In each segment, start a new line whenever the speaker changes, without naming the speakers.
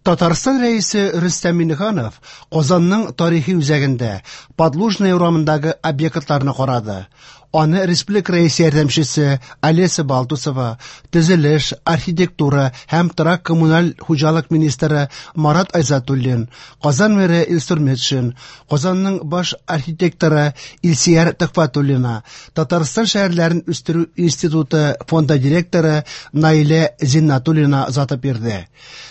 Татарстан Рәисе Рөстәм Миңнеханов Казанның тарихи үзәгендә Подлужная урамындагы объектларны карады. Аны республика Рәисе ярдәмчесе Олеся Балтусова, төзелеш, архитектура һәм торак-коммуналь хуҗалык министры Марат Айзатуллин, Казан мэры Илсур Метшин, Казанның баш архитекторы Илсөяр Төхфәтуллина, Татарстан шәһәрләрен үстерү институты фонды директоры Наилә Зиннатуллина озатып йөрде.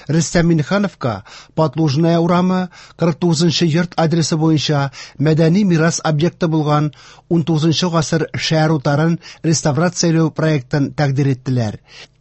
Рөстәм Миңнехановка Подлужная урамы 49 нчы йорт адресы буенча мәдәни мирас объекты булган 19 гасыр шәһәр утарын реставрацияләү проектын тәкъдир иттеләр.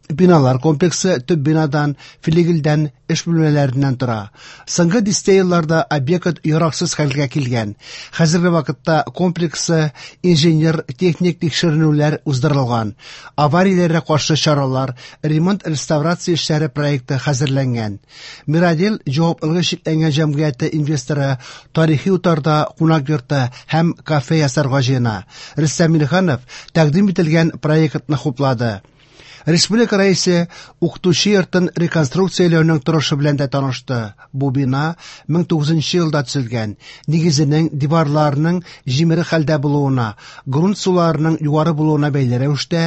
Биналар комплексы төп бинадан, флигельдән, эш бүлмәләреннән тора. Соңгы дистә елларда объект яраксыз хәлгә килгән. Хәзерге вакытта комплексы инженер-техник тикшеренүләр уздырылган. Аварияләргә каршы чаралар, ремонт-реставрация эшләре проекты хәзерләнгән. Мирадел җаваплылыгы чикләнгән җәмгыяте инвесторы тарихи утарда кунак йорты һәм кафе ясарга җыена. Рөстәм Миңнеханов тәкъдим ителгән проектны хуплады. Республика Рәисе укытучы йортын реконструкцияләүнең торышы белән дә танышты. Бу бина 1900 елда төзелгән. Нигезенең диварларының җимерек хәлдә булуына, грунт суларының югары булуына бәйле рәвештә,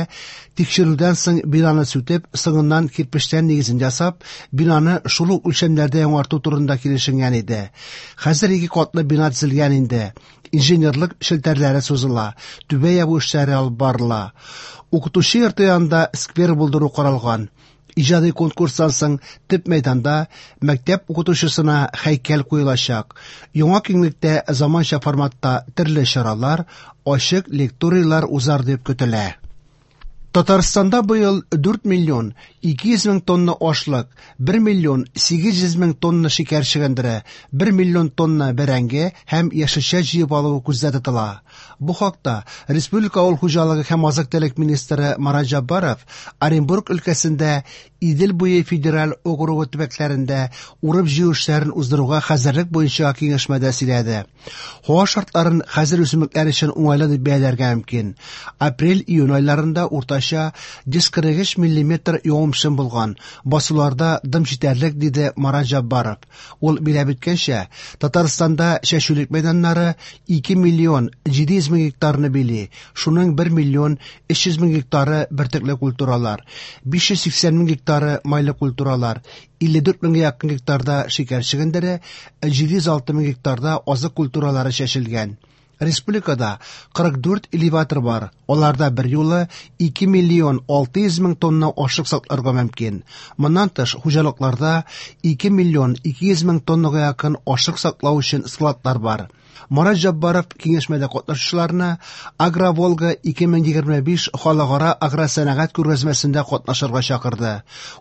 тикшерүдән соң бинаны сүтеп, соңыннан кирпечтән нигезен ясап, бинаны шул ук үлчәмнәрдә яңарту турында килешенгән иде. Хәзер ике катлы бина төзелгән инде. Инженерлык челтәрләре сузыла, түбә ябу эшләре алып барыла. Укытучы йорты янында сквер булдыру каралган. Иҗади конкурстан соң төп мәйданда мәктәп укытучысына һәйкәл куелачак. Яңа киңлектә заманча форматта төрле чаралар, ачык лекторийлар узар дип көтелә. Татарстанда быел 4 миллион 200 мең тонна ашлык, 1 миллион 800 мең тонна шикәр чөгендере, 1 миллион тонна бәрәңге һәм яшелчә җыеп алу күздә тотыла. Бу хакта республика авыл хуҗалыгы һәм азык-төлек министры Марат Җаббаров Оренбург өлкәсендә Идел буе федераль округы төбәкләрендә урып-җыю эшләрен уздыруга хәзерлек буенча киңәшмәдә сөйләде. Һава шартларын хәзер үсемлекләр өчен уңайлы дип бәяләргә мөмкин. Апрель-июнь айларында уртача 143 миллиметр явым-төшем булган, басуларда дым җитәрлек, диде Марат Җаббаров. Ул биләп үткәнчә, Татарстанда чәчүлек мәйданнары 2 миллион 700 мең гектарны били, шуның 1 миллион 300 мең гектары бөртекле культуралар, 580 мең гектары майлы культуралар, 54 меңгә якын гектарда шикәр чөгендере, 706 мең гектарда азык культуралары чәчелгән. Республикада 44 элеватор бар, аларда берьюлы 2 миллион 600 мең тонна ашлык сакларга мөмкин. Моннан тыш, хуҗалыкларда 2 миллион 200 мең тоннага якын ашлык саклау өчен складлар бар. Марат Җаббаров киңәшмәдә катнашучыларны Агроволга 2025 халыкара агросәнәгать күргәзмәсендә катнашырга чакырды.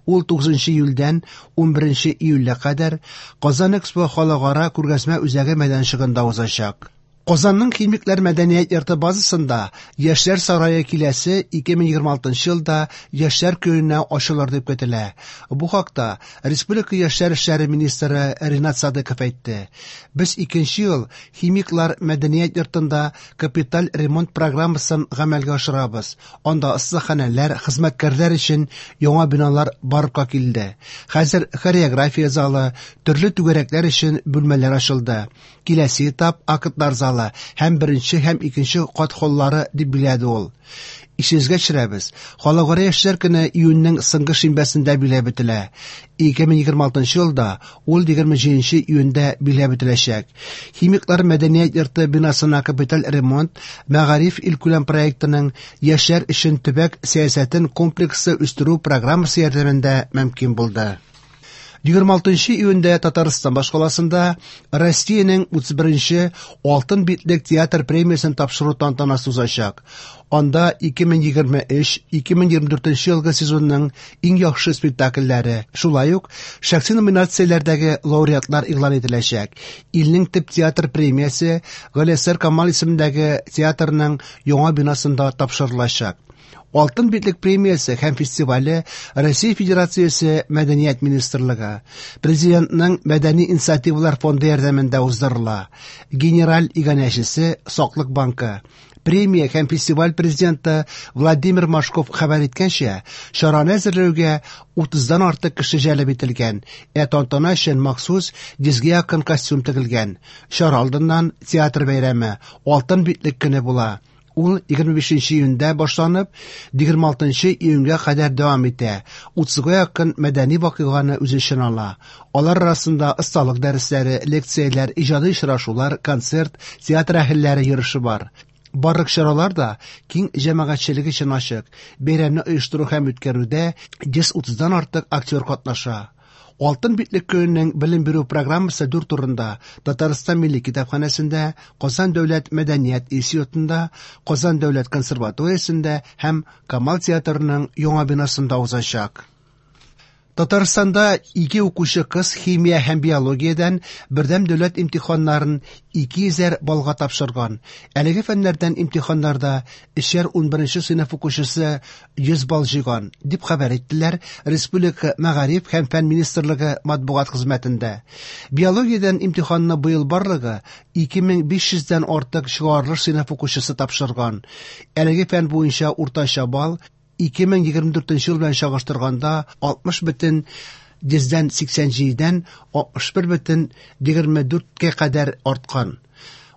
Ул 9 июльдән 11 июльгә кадәр Казан Экспо халыкара күргәзмә үзәге мәйданчыгында узачак. Казанның Химиклар мәдәният йорты базасында Яшьләр сарае киләсе 2026 елда Яшьләр көненә ачылыр дип көтелә. Бу хакта республика яшьләр эшләре министры Ринат Садыков әйтте. Без икенче ел Химиклар мәдәният йортында капиталь ремонт программасын гамәлгә ашырабыз. Анда остаханәләр, хезмәткәрләр өчен яңа биналар барлыкка килде. Хәзер хореография залы, төрле түгәрәкләр өчен бүлмәләр ачылды. Киләсе этап актлар залы һәм беренче һәм икенче кат холлары, дип билгеләде ул. Исегезгә төшерәбез, Халыкара яшьләр көне июньнең соңгы шимбәсендә билгеләп үтелә. 2026 елда ул 27 июньдә билгеләп үтеләчәк. Химиклар мәдәният йорты бинасына капиталь ремонт Мәгариф илкүләм проектының Яшьләр өчен төбәк сәясәтен комплекслы үстерү программасы ярдәмендә мөмкин булды. 26 июньдә Татарстан башкаласында Россиянең 31-нче Алтын битлек театр премиясен тапшыру тантанасы узачак. Анда 2023-2024 елгы сезонның иң яхшы спектакльләре, шулай ук шәхси номинацияләрдәге лауреатлар игълан ителәчәк. Илнең төп театр премиясе Галиәсгар Камал исемендәге театрның яңа бинасында тапшырылачак. Алтын битлек премиясе һәм фестивале Россия Федерациясе Мәдәният министрлыгы, Президентның Мәдәни инициативалар фонды ярдәмендә уздырыла. Генераль иганәчесе Саклык банкы. Премия һәм фестиваль президенты Владимир Машков хәбәр иткәнчә, чараны әзерләүгә 30-дан артык кеше җәлеп ителгән, ә тантана өчен махсус 100гә якын костюм тегелгән. Чара алдыннан театр бәйрәме, Алтын битлек көне була. Ул 25 июньдә башланып, 26 июньгә кадәр дәвам итә. 30га якын мәдәни вакыйганы үз эченә ала. Алар арасында осталык дәресләре, лекцияләр, иҗади очрашулар, концерт, театр әһелләре йөреше бар. Барлык чаралар да киң җәмәгатьчелек өчен ачык. Бәйрәмне оештыру һәм үткәрүдә 130-дан артык актер катнаша. Алтын битлек көненең белем бирү программасы дүрт урында: Татарстан Милли китапханәсендә, Казан дәүләт мәдәният институтында, Казан дәүләт консерваториясендә һәм Камал театрының яңа бинасында узачак. Татарстанда ике укучы кыз химия һәм биологиядән бердәм дәүләт имтиханнарын 200 баллга тапшырган. Әлеге фәннәрдән имтиханнарда өчәр 11 сыйныф укучысы 100 балл җыйган, дип хәбәр иттеләр Республика Мәгариф һәм фән министрлыгы матбугат хезмәтендә. Биологиядән имтиханны быел барлыгы 2500дән артык чыгарылыш сыйныф укучысы тапшырган. Әлеге фән буенча уртача балл 2024 ел белән чагыштырганда 60,87-дән 61,24-кә кадәр арткан.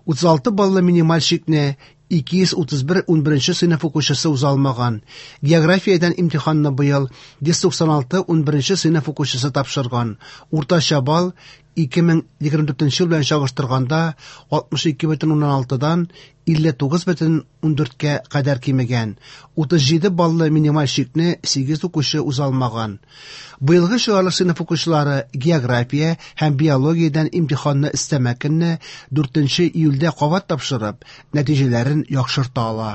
36 баллы минималь чикне 231 11 сыйныф укучысы уза алмаган. Географиядән имтиханны быел 196 11 сыйныф укучысы тапшырган. Уртача балл 2024 ел белән чагыштырганда 62,6-дан 59,14-кә кадәр кимегән. 37 баллы минималь чикне 8 укучы уза алмаган. Быелгы чыгарылыш сыйныф укучылары география һәм биологиядән имтиханны өстәмә көнне 4 июльдә кабат тапшырып, нәтиҗәләрен яхшырта ала.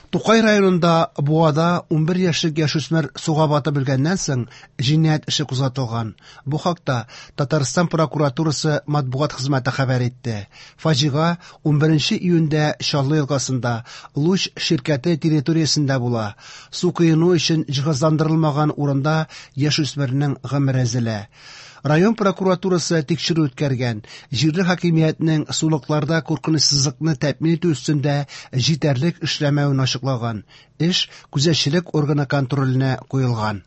Тукай районында Буада 11 яшьлек яшүсмер суга батып үлгәннән соң җинаять эше кузгатылган. Бу хакта Татарстан прокуратурасы матбугат хезмәте хәбәр итте. Фаҗига 11 июньдә Чаллы елгасында Луч ширкәте территориясендә була. Су коену өчен җиһазландырылмаган урында яшүсмернең гомере өзелә. Район прокуратурасы тикшерү үткәргән. Җирле хакимиятнең сулыкларда куркынычсызлыкны тәэмин итү өстендә җитәрлек эшләмәвен ачыклаган. Эш күзәтчелек органы контроленә куелган.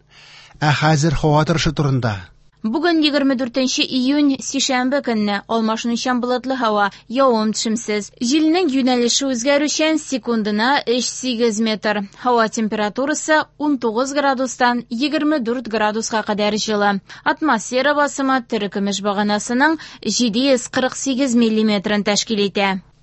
Ә хәзер һава торышы турында.
Бүген 24 июнь, сишәмбе көнне алмашынучан болытлы һава, явым-төшемсез. Җилнең юнәлеше үзгәрүчән, секундына 3-8 метр. Һава температурасы 19 градустан 24 градуска кадәр җылы. Атмосфера басымы терекөмеш баганасының 748 миллиметрын тәшкил итә.